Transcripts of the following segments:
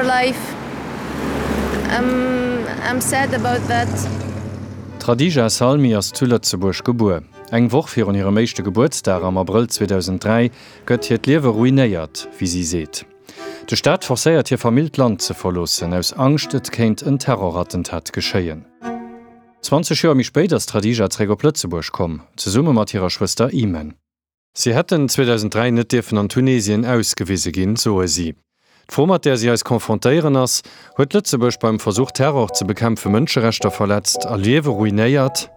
our life. I'm I'm sad about that. D'Radija Salmi ass zu Lëtzebuerg gebuer. Eng Woch virun hirem éischte Gebuertsdag am Abrëll 2003 gëtt hiert Liewe ruinéiert, wéi si seet. De Staat forcéiert hir Famill d'Land ze verloossen, aus Angscht et kéint en Terrorattentat geschéien. 20 Joer méi spéit ass d'Radija zeréck op Lëtzebuerg komm, zesumme mat hirer Schwëster Imen. Si hätten 2003 net dierfen an Tunesien ausgewise ginn, soe si. D'Fro mat där si eis confrontéieren ass, Huet Lëtzebuerg beim Versuch Terror ze bekämpfe Mënscherechter verletzt a Liewe ruinéiert?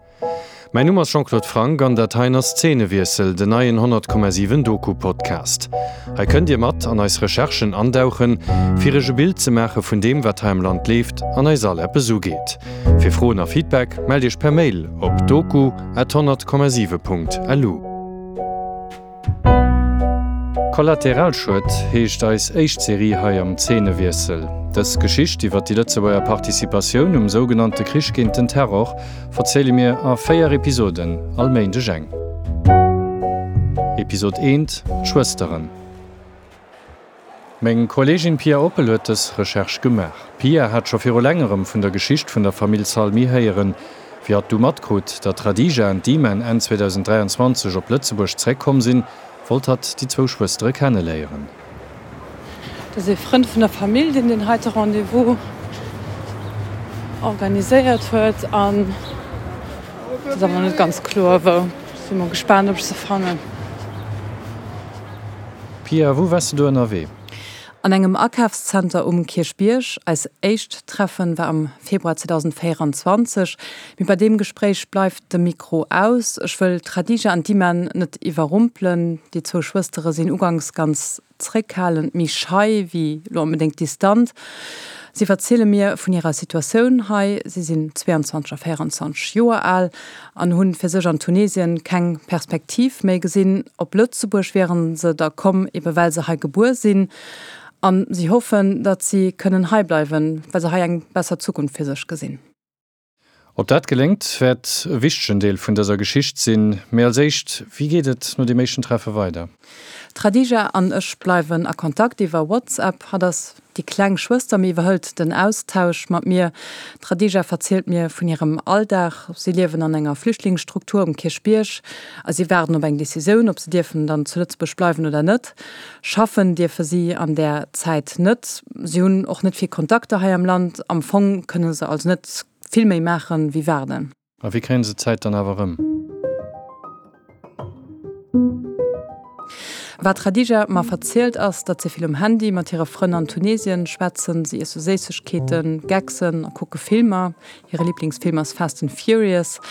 Mäin Numm ass Jean-Claude Franck an dat heien ass Zeenewiessel, den neien 100,7 Doku-Podcast. Hei kënnt Dir mat an eis Recherchen andauchen, fir Iech e Bild ze maache vun deem wat hei am Land leeft an eis all eppes ugeet. Fir Froen a Feedback mellt Iech per Mail op doku at 100,7 Punkt lu. Kollateralschued heescht eis éischt Serie hei am Zeenewiessel. Dës Geschicht iwwer déi Lëtzebuerger Participatioun um sougenannte Krich géint den Terror verziele mir a 4 Episoden, all Méindeg eng. Episod 1, D'Schwësteren. Meng Kolleegin Pia Oppel huet dës Recherche gemaach. D'Pia hat scho viru längerem vun der Geschicht vun der Famill Salmi héieren. Wéi hatt du matkrut, datt d'Radija an d'Iman Enn 2023 op Lëtzebuerg zeréckkomm sinn, wollt hatt déi zwou Schwëstere kenneléieren. Dat ass ee Frënd vun der Famill, deen deen heite Rendez-vous organiséiert huet an et ass awer nach net ganz kloer wou. Si mol gespaant, ob ech se fannen. Pia, wou wars de do ënnerwee? An engem Akafszenter um Kierchbierg. Eis éischt Treffen war am Februar 2024, mee bei deem Gespréich bleift de Mikro aus. Ech wëll d'Khadija an d'Iman net iwwerrumpelen. Déi zwou Schwëstere sinn uganks ganz zréckhalend, méi schei wéi lo onbedéngt distant. Si verziele mir vun hirer Situatioun hei. Si sinn 22 a 24 Joer al an hunn fir sech an Tunesien keng Perspektiv méi gesinn. Op Lëtzebuerg wieren se da komm, ebe well se hei gebuer sinn. An si hoffen, datt si kënnen hei bleiwen, well se hei eng besser Zukunft fir sech gesinn. Ob dat geléngt, wäert e wichtegen Deel vun dëser Geschicht sinn. Mee als éischt, wéi geet et no deem éischten Treffe weider? D'Khadija an ech bleiwen a Kontakt iwwer WhatsApp. Hatt ass déi kleng Schwëster, mee iwwerhëlt den Austausch mat mir. D'Khadija verzielt mir vun hirem Alldag. Si liewen an enger Flüchtlingsstruktur um Kierchbierg a si waarden op eng Decisioun, ob se dierfen dann zu Lëtzebuerg bleiwen oder net. Schaffen dierfe si an där Zäit net. Si hunn och net vill Kontakter hei am Land. Am Fong kënne se also net vill méi maachen, wéi waarden. A wéi kréie se d'Zäit dann awer erëm? Wat d'Khadija mer verzielt ass, datt si vill um Handy mat hire Frënn an Tunesien schwätzen. Si iesse Séissegkeeten, Gecksen a kucke Filmer. Hire Liblingsfilm ass Fast and Furious.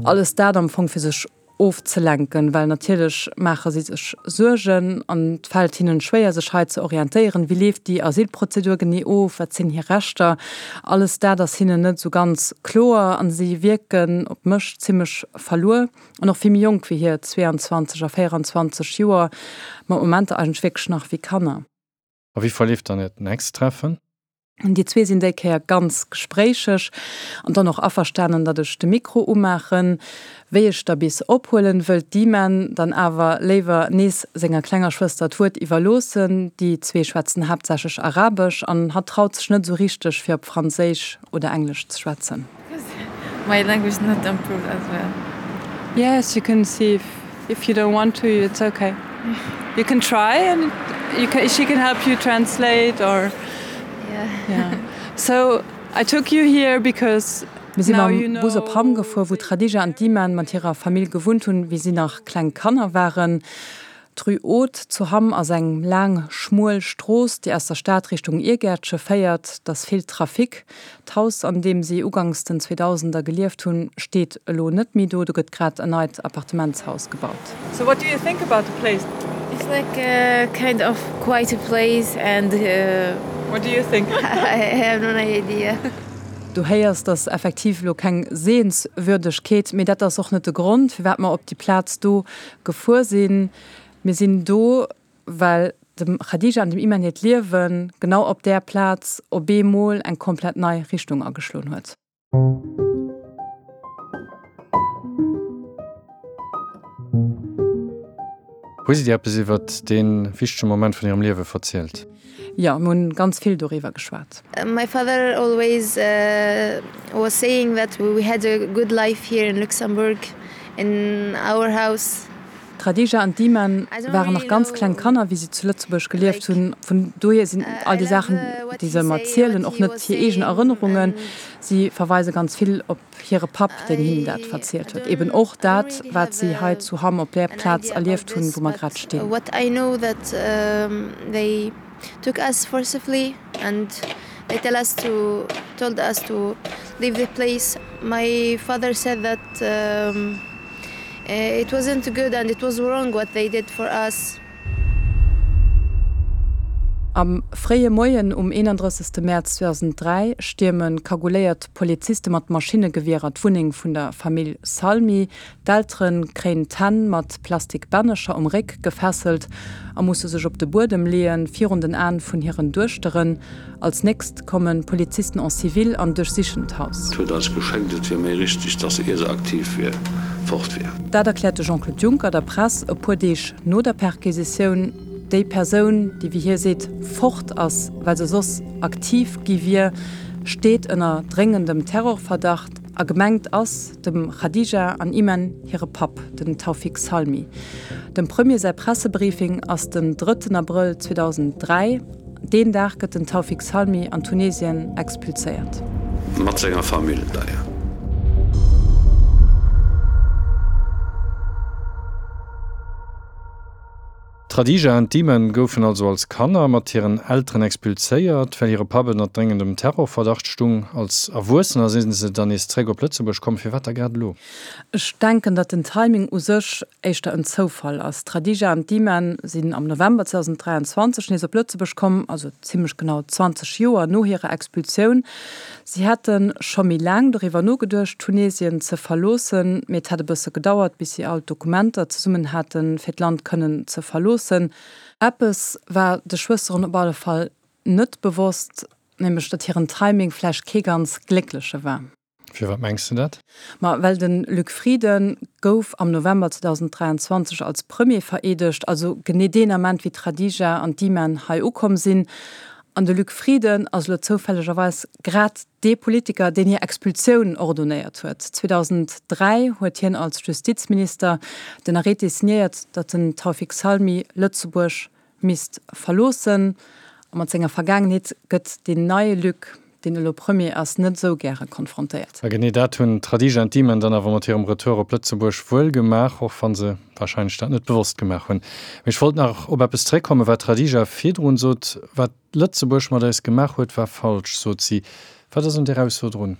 Alles dat am Fong fir sech ofzelenken, well natierlech maache si sech Suergen an et fält hinnen schwéier, sech hei ze orientéieren. Wéi leeft déi Asylprozedur genee of? Wat sinn hir Rechter? Alles dat ass hinnen net esou ganz kloer an si wierken op mech zimmlech verluer an och vill méi jonk wéi hir 22 a 24 Joer, mat Momenter eigentlech wierklech nach wéi Kanner. A wéi verleeft dann Äert nächst Treffen? Déi zwee sinn déi Kéier ganz gespréicheg an dann och averstanen, datt ech de Mikro umaachen. Wéi ech da bis ophuelen, wëllt d'Iman dann awer léiwer nees senger klenger Schwëster d'Wuert iwwerloossen. Déi zwee schwätzen haaptsächlech Arabesch an hatt traut sech net esou richteg, fir op Franséisch oder Englesch ze schwätzen. My language not improved as well. Yes, you can see if if you don't want to, it's okay. You can try and you can, she can help you translate or yeah. yeah. So I took you here because Mir si mam Bus op Hamm gefuer, wou d'Khadija an d'Iman mat hirer Famill gewunnt hunn, wéi si nach kleng Kanner waren. D'Rue Haute zu Hamm ass eng laang, schmuel Strooss, déi aus der Stad Richtung Iergäertche féiert. Et ass vill Trafic. D'Haus, an deem si uganks den Zweedausender gelieft hunn, steet elo net méi do. Do gëtt grad en neit Appartementshaus gebaut. So what do you think about the place? It's like a kind of quiet place and What do you think? I have no idea. Du héiers, dass effektiv elo keng Sehenswürdegkeet, mee dat ass och net de Grond, firwat mer op déi Plaz do gefuer sinn. Mir sinn do, well dem Khadija an dem Iman hiert Liewe genau op där Plaz op eemol eng komplett nei Richtung ageschloen huet. Hu si dir eppes iwwert dee wichtege Moment vun hirem Liewe verzielt? Jo, mir hunn ganz vill doriwwer geschwat. My father always was saying that we had a good life here in Luxembourg in our house. D'Khadija an d'Iman waren nach ganz kleng Kanner, wéi si zu Lëtzebuerg gelieft hunn. Vun dohier sinn all déi Saachen, déi se ëmmer zielen, och net hir eegen Erënnerungen. Si verweise ganz vill op hire Papp, deen hinnen dat verzielt huet. Eben och dat, wat si hei zu Hamm op där Plaz erlieft hunn, wou mer grad stinn. Took us forcibly and they tell us to told us to leave the place. My father said that um, it wasn't good and it was wrong what they did for us. Am fréie Moien um 31. Mäerz 2003 stierme kagouléiert Poliziste mat Maschinnegewierer d'Wunneng vun der Famill Salmi. D'Eltere kréien d'Hänn mat Plastik-Bännecher um Réck gefesselt a musse sech op de Buedem leeën, virun den Aen vun hiren Duechteren. Als nächst komme Polizisten en civil an duerchsichen d'Haus. Et huet eis geschéngt, et wier méi richteg, dass ier se aktiv wier, fort wier. Dat erkläert de Jean-Claude Juncker der Press e puer Deeg no der Perquisitioun. Déi Persoun, déi wéi hie seet fort ass, well se soss aktiv gi wier, steet ënner dréngendem Terrorverdacht. A gemengt ass dem Khadija an Iman hire Papp, den Taoufik Salmi. Dem Premier säi Pressebriefing ass den drëtten Abrëll 2003. Deen Dag gëtt den Taoufik Salmi an Tunesien expulséiert. Mat senger Famill d'ailleurs. D'Khadija an d'Iman goufen also als Kanner mat hiren Elteren expulséiert, well hire Papp ënner dréngendem Terrorverdacht stung. Als Erwuessener si se dann nees zréck op Lëtzebuerg komm. Firwat da grad elo? Ech denken, datt den Timing u sech éischter en Zoufall ass. D'Khadija an d'Iman sinn am November 2023 nees op Lëtzebuerg komm, also zimmlech genau 20 Joer no hirer Expulsioun. Si hätte scho méi laang doriwwer nogeduecht, Tunesien ze verloossen, mee et hätt e bësse gedauert, bis si all d'Dokumenter zesummen haten, fir d'Land kënnen ze verloossen. Eppes war de Schwësteren op alle Fall net bewosst, nämlech datt hiren Timing vläicht kee ganz gléckleche war. Firwat mengs de dat? Ma well de Luc Frieden gouf am November 2023 als Premier vereedegt, also genee deen Ament wéi d'Khadija an d'Iman hei ukomm sinn. An de Luc Frieden ass elo zoufällegerweis grad dee Politiker, deen hir Expulsioun ordonéiert huet. 2003 huet hien als Justizminister den Arrêté signéiert, datt den Taoufik Salmi Lëtzebuerg misst verloossen. A mat senger Vergaangenheet gëtt deen neie Luc, deen elo Premier ass, net esou gäre konfrontéiert. A genee dat hunn d'Khadija an d'Iman dann awer mat hirem Retour op Lëtzebuerg wuel gemaach, och wa se warscheinlech dat net bewosst gemaach hunn. Mee ech wollt nach op eppes zeréckkommen, wat d'Khadija virdrun sot, Wat Lëtzebuerg mat eis gemaach huet, war falsch, sot si. Wat ass un där Ausso drun?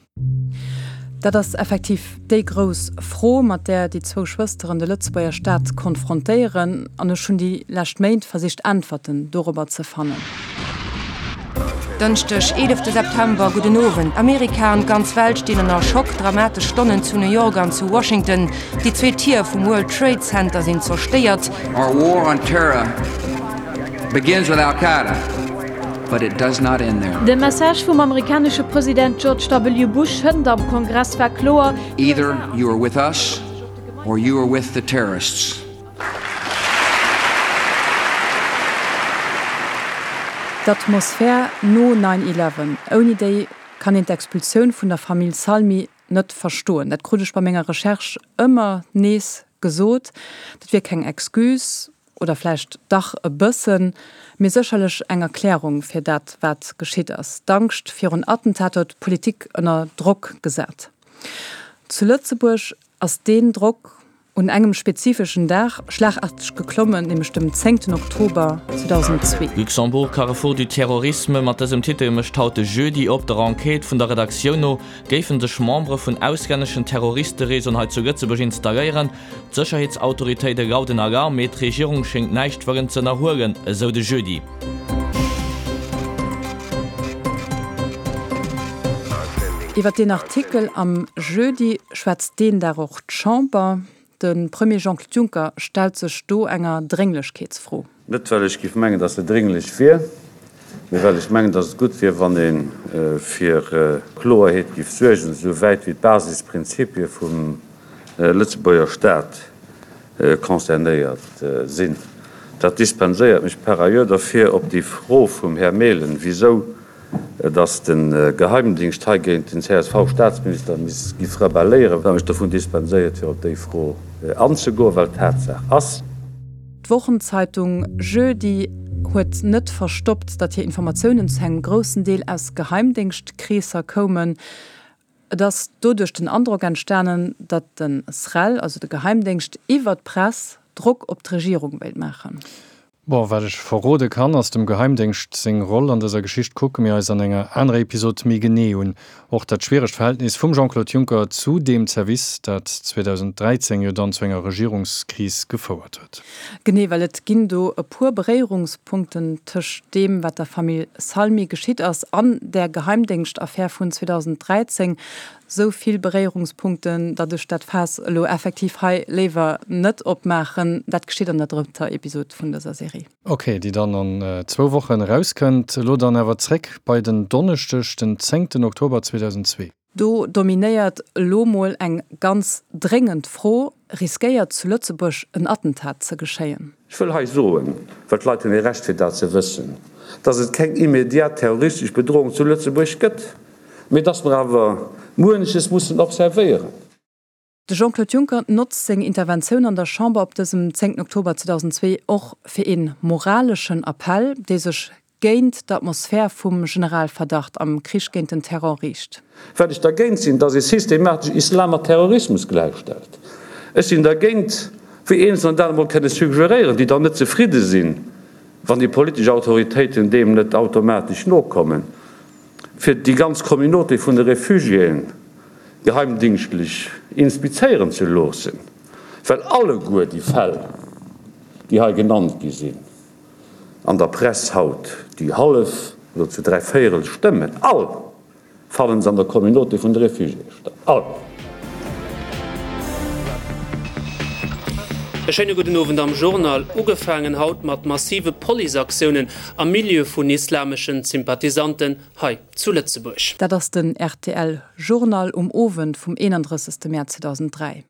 Dat ass effektiv déi grouss Fro, mat där déi zwou Schwësteren de Lëtzebuerger Staat konfrontéieren. An ech hunn déi lescht Méint versicht Äntwerten dorobber ze fannen. Dënschdeg, 11 September, Gudden Owend. Amerika an d'ganz Welt stinn ënner Schock. Dramatesch Stonnen zu New York an zu Washington. Déi zwee Tier vum World Trade Center sinn zerstéiert. Our war on terror begins with Al Qaeda, but it does not end there. De Message vum amerikanesche President George W. Bush hënt am Kongress war kloer. Either you are with us or you are with the terrorists. D'Atmosphär no Nine Eleven, ouni déi kann een d'Expulsioun vun der Famill Salmi net verstoen. Dat krut ech bei menger Recherche ëmmer nees gesot. Dat wier keng Excuse, oder vläicht dach e bëssen, mee sécherlech eng Erklärung fir dat, wat geschitt ass. D'Angscht virun Attentater huet d'Politik ënner Drock gesat. Zu Lëtzebuerg ass deen Drock un engem spezifeschen Dag schlagarteg geklommen, nämlech dem zéngten Oktober 2002. Luxembourg, Carrefour du terrorisme, mat dësem Titel mécht haut de Jeudi op. Der Enquête vun der Redaktioun no géife sech Membere vun auslänneschen Terroristereseauen hei zu Lëtzebuerg installéieren. D'Sécherheetsautoritéite lauden Alarm, mee d'Regierung schéngt näischt wëllen z'ënnerhuelen, esou de Jeudi. Iwwer deen Artikel am Jeudi schwätzt deen Dag och d'Chamber. De Premier Jean-Claude Juncker stellt sech do enger Drénglechkeetsfro. Net well ech géif mengen, datt se drénglech wier, mee well ech mengen, datt et gutt wier, wann ee fir Kloerheet géif suergen, esou wäit wéi d'Basisprinzipie vum Lëtzebuerger Staat concernéiert sinn. Dat dispenséiert mech par ailleurs derfir, op déi Fro vum Här Mehlen, wisou dass de Geheimdingscht hei géint den CSV-Statsminister misst giff rebelléieren, wat mech dovun dispenséiert, fir op déi Fro anzegoen, well Tatsaach ass. D'Wochenzeitung Jeudi huet net verstoppt, datt hir Informatiounen zu engem groussen Deel aus Geheimdéngschtkreesser koumen. Et ass doduerch den Androck entstanen, datt de SREL, also de Geheimdéngscht, iwwer d'Press Drock op d'Regierung wéilt maachen. Bon, wat ech verrode kann, ass dem Geheimdéngscht seng Roll an dëser Geschicht kucke mir eis an enger anerer Episod méi genee un. Och dat schwieregt Verhältnis vum Jean-Claude Juncker zu deem Zerwiss, dat 2013 jo dann zu enger Regierungskris gefouert huet. Genee, well et ginn do e puer Beréierungspunkten tëscht deem, wat der Famill Salmi geschitt ass, an där Geheimdéngschtaffär vun 2013. Sou vill Beréierungspunkten, datt ech dat Faass elo effektiv hei léiwer net opmaachen. Dat geschitt an der drëtter Episod vun dëser Serie. Ok, déi dann an zwou Wochen erauskënnt. Elo dann awer zréck bei den Donneschdeg, den zéngten Oktober 2002. Do dominéiert elo mol eng ganz dréngend Fro, Riskéiert zu Lëtzebuerg en Attentat ze geschéien? Ech wëll hei soen, well d'Leit hunn e Recht fir dat ze wëssen, dass et keng immediat terroristesch Bedrohung zu Lëtzebuerg gëtt. Mee dass mer awer muenches mussen observéieren. De Jean-Claude Juncker notzt seng Interventioun an der Chamber op dësem 10 Oktober 2002 och fir ee moraleschen Appell, dee sech géint d'Atmosphär vum Generalverdacht am Krich géint den Terror riicht. Well ech dergéint sinn, dass ee systematesch Islam mat Terrorismus gläichstellt. Ech sinn dergéint, wéi Eenzelner dat emol kënne suggeréieren, déi dann net zefridde sinn, wann déi politesch Autoritéiten deem net automatesch nokommen. fir déi ganz Communauté vun de Réfugiéen geheimdingschtlech inspizéieren ze loossen, well alleguer déi Fäll, déi hei genannt gi sinn an der Press haut, déi hallef oder zu dräivéierel stëmmen, all fannen se an der Communauté vun de Réfugiéen statt, all. E schéine gudden Owend am Journal. Ugefaangen haut mat massive Policeaktiounen am Milieu vun islameschen Sympathisanten hei zu Lëtzebuerg. Dat ass den rtl Journal um Owend vum 31. Mäerz 2003.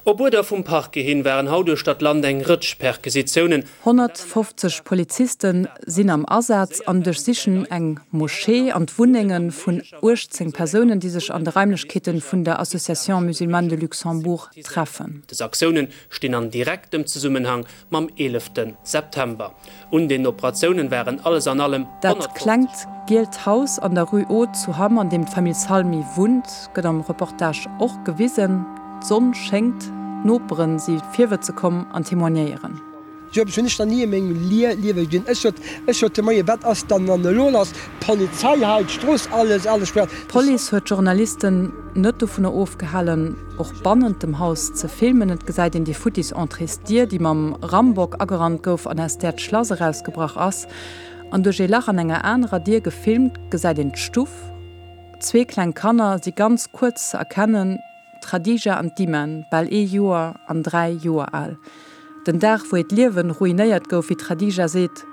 Op Uerder vum Parquet hin waren haut uechter d'Land eng Rëtsch Perquisitiounen. 150 Poliziste sinn am Asaz an duerchsichen eng Moschee an d'Wunnenge vun 18 Persounen, déi sech an de Raimlechkeete vun der Association musulmane de Luxembourg treffen. Des Aktiounen stinn an direktem Zesummenhang mam 11 September. Un den Operatiounen waren alles an allem Dat 150. klengt gielt Haus an der Rue Haute zu Hamm, an deem d'Famill Salmi wunnt, gëtt am Reportage och gewisen. D'Sonn schéngt, d'Noperen si virwëtze komm an témoignéieren. Sou eppes hunn ech nach ni a mengem Liewe gesinn. Ech sot, ech sot de Moien, wat ass dann dann elo lass? D'Polizei hei, d'Strooss, alles, alles sperrt. D'Police huet d'Journalisten net dovunner ofgehalen, och bannent dem Haus ze filmen. Et gesäit een déi futtis Entréesdier, déi mam Rambock agerannt gouf an aus där d'Schlass erausgebrach ass. An duerch ee Lach an enger anerer Dier gefilmt gesäit een d'Stuff. Zwee kleng Kanner si ganz kuerz ze erkennen. D'Khadija an d'Iman, bal ee Joer an 3 Joer al. Den Dag, wou hiert Liewen ruinéiert gouf, wéi d'Khadija seet,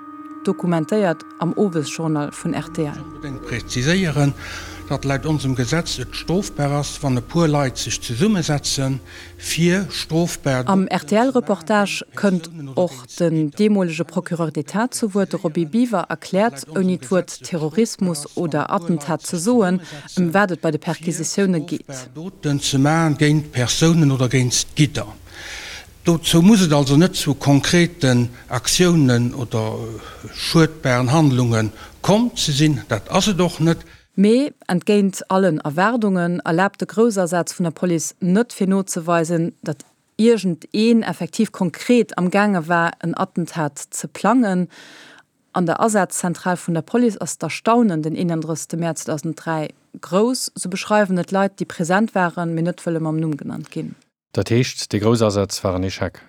dokumentéiert am Owesjournal vun rtl. Onbedéngt präziséieren, datt laut onsem Gesetz et strofbar ass, wann e puer Leit sech zesummesetzen, fir strofbar Am Doten ze maachen RTL-Reportage géint kënnt Persounen oder och géint den Gidder. deemolege Procureur d'État zu Wuert. De Roby Biwer erkläert, ouni d'Wuert Terrorismus oder Attentat ze soen, ëm wat et bei de Perquisitioune geet. Doten ze maachen géint Persounen oder géint Gidder. Dozou muss et also net zu konkreten Aktiounen oder schuedbaren Handlunge komm ze sinn. Dat ass et och net. Mee entgéint allen Erwaardungen erlaabt de Groussasaz vun der Police net fir nozeweisen, datt iergend een effektiv konkret am gaange war en Attentat ze plangen. An der Asazentral vun der Police ass d'Erstaunen den 31 Mäerz 2003 grouss, sou beschreiwen et Leit, déi present waren, mee net wëlle mam Numm genannt ginn. Dat heescht, dee Groussasaz war en Echec?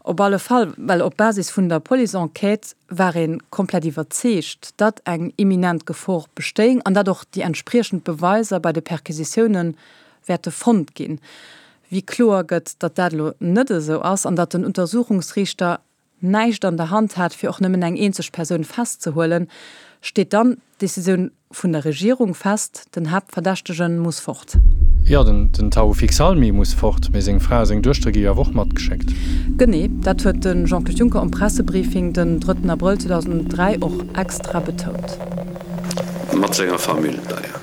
Op alle Fall, well op Basis vun der Police-Enquête war ee komplett iwwerzeegt, datt eng imminent Gefor bestéing an datt och déi entspriechend Beweiser bei de Perquisitioune wäerte fonnt ginn. Wéi kloer gëtt, datt dat elo net esou ass an datt den Untersuchungsriichter näischt an der Hand hat, fir och nëmmen eng eenzeg Persoun festzehuelen, steet dann d'Decisioun. vun der Regierung fest, den Haaptverdächtege muss fort. Jo, den Taoufik Salmi muss fort, mee seng Fra a seng Duechtere gi jo awer och matgeschéckt. Genee, dat huet de Jean-Claude Juncker um Pressebriefing den drëtten Abrëll 2003 och extra betount. Mat senger Famill d'ailleurs.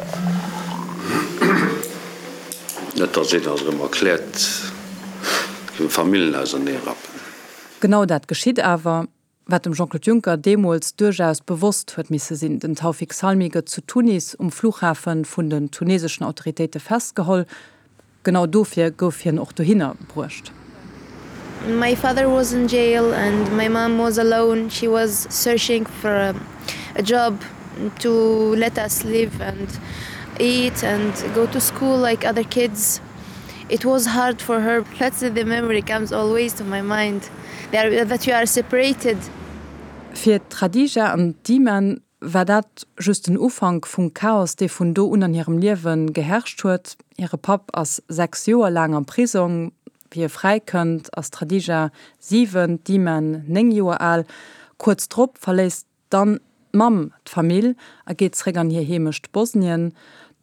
Net datt een dat erëm erkläert, géif Famillen auserneerappen. Genau dat geschitt awer. Wat dem Jean-Claude Juncker deemools duerchaus bewosst huet misse sinn. Den Taoufik Salmi gëtt zu Tunis um Flughafe vun den tuneseschen Autoritéite festgeholl. Genau dofir gouf hien och dohinner bruecht. My father was in jail and my mom was alone, she was searching for a job to let us live and eat and go to school like other kids. It was hard for her, that's the memory comes always to my mind. That you are separated. Fir d'Khadija an d'Iman war dat just den Ufank vum Chaos, dee vun do un an hirem Liewe geherrscht huet. Hire Papp ass 6 Joer laang am Prisong. Wéi e fräikënnt, ass d'Khadija 7, d'Iman 9 Joer al. Kuerz drop verléisst Dann d'Mamm d'Famill a geet zeréck an hir Heemecht Bosnien.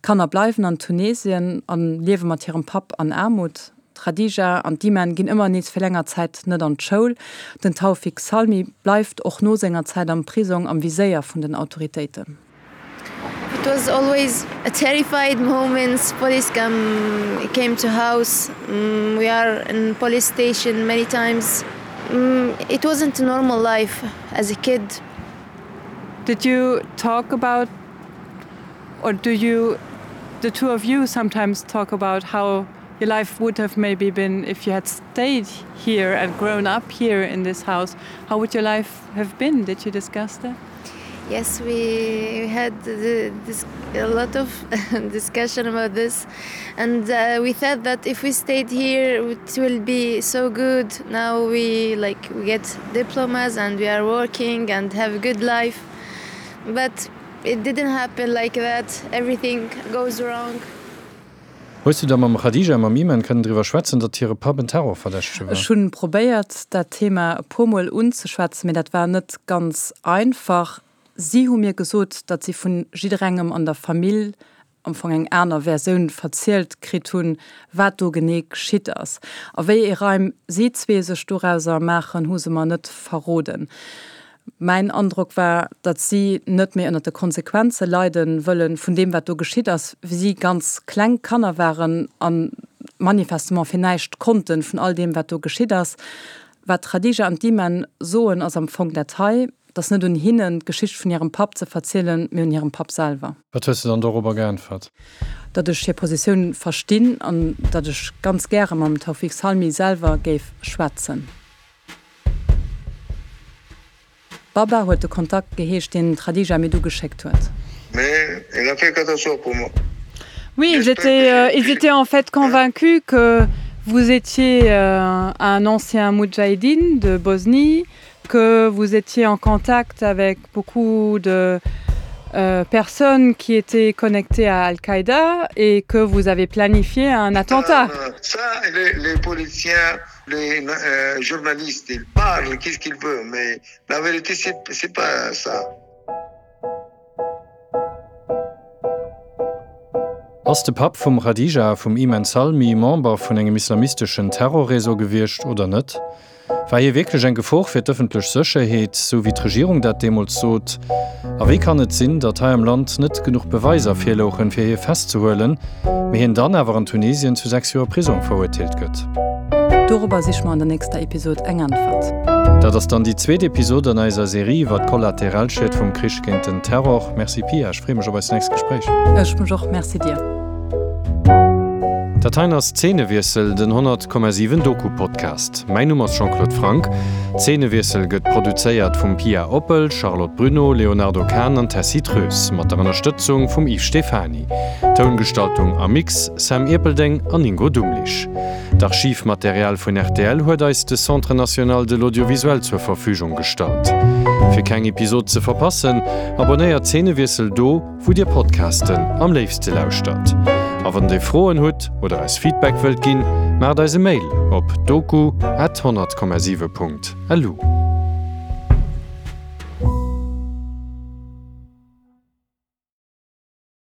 D'Kanner bleiwen an Tunesien a liewe mat hirem Papp an Aarmut. D'Khadija an d'Iman ginn ëmmer nees fir länger Zäit net an d'Schoul. Den Taoufik Salmi bleift och no senger Zäit am Prisong am Viséier vun den Autoritéiten. It was always a terrified moments, police come came to house, we are in police station many times. It wasn't a normal life as a kid. Did you talk about or do you the two of you sometimes talk about how your life would have maybe been if you had stayed here and grown up here in this house? How would your life have been? Did you discuss that? Yes, we had the, this, a lot of discussion about this and uh, we thought that if we stayed here it will be so good. Now we like we get diplomas and we are working and have a good life. But it didn't happen like that. Everything goes wrong. Hues du da mam Khadija a mam Iman kënnen driwwer schwätzen, datt hire Papp en Terrorverdächtege war? Ech hunn probéiert dat Thema e puer Mol unzeschwätzen, mee dat war net ganz einfach. Si hu mir gesot, datt si vun jidderengem an der Famill am Fong eng aner Versioun verzielt kritt hunn, wat do genee geschitt ass. A wéi ee Reim si zwee sech dorauser maachen, hu se mer net verroden. Mäin Androck war, datt si net méi ënnert de Konsequenze leide wëlle vun deem, wat do geschitt ass, wéi si ganz kleng Kanner waren a manifestement fir näischt konnten vun all deem, wat do geschitt ass. Wat d'Khadija an d'Iman soen, ass am Fong dat hei, Et ass net un hinnen, d'Geschicht vun hirem Papp ze verzielen, mee un hirem Papp selwer. Wat hues de dann dorobber geäntwert? Datt ech hir Positioun verstinn an datt ech ganz gäre mam Taoufik Salmi selwer géif schwätzen. Baba huet de Kontakt geheescht, deen d'Khadija mir du geschéckt huet. Mais il a fait catastrophe pour moi. Oui, ils étaient, euh, ils étaient en fait convaincus que vous étiez euh, un ancien moudjahidine de Bosnie, que vous étiez en contact avec beaucoup de euh, personnes qui étaient connectées à Al-Qaïda et que vous avez planifié un attentat. Euh, ça, les, les policiers, les euh, journalistes, ils parlent, qu'est-ce qu'ils veulent, mais la vérité, c'est pas ça. Ass de Papp vum Khadija a vum Iman Salmi Member vun engem islamisteschen Terrorréseau gewiescht oder net? War hie wierklech eng Gefor fir d'ëffentlech Sécherheet, sou wéi d'Regierung dat deemools sot? A wéi kann et sinn, datt hei am Land net genuch Beweiser virlouchen, fir hie festzehuelen, mee hien dann awer an Tunesien zu 6 Joer Prisong verurteelt gëtt? Dorobber siche mer an der nächster Episod eng Äntwert. Dat ass dann déi zweet Episod an eiser Serie iwwer d'Kollateralschied vum Krich géint den Terror. Merci Pia, ech freeë mech op eist nächst Gespréich. Ech mech och, merci dir. Dat heien ass Zeenewiessel, den 100,7 Doku-Podcast. Mäin Numm ass Jean-Claude Franck. Zeenewiessel gëtt produzéiert vum Pia Oppel, Charlotte Bruneau, Léonardo Kahn an Tessy Treus, mat der Ënnerstëtzung vum Yves Stephany. Toungestaltung a Mix, Sam Ierpeldeng an Ingo Dumlich. D'Archivmaterial vun rtl huet eis de Centre national de l'audiovisuel zur Verfügung gestallt. Fir keng Episod ze verpassen, abonnéiert Zeenewiessel do, wou dir Podcasten am léifste lauschtert. A wann dir Froen hutt oder eis Feedback wëllt ginn, maacht eis e Mail op doku at 100,7 Punkt lu.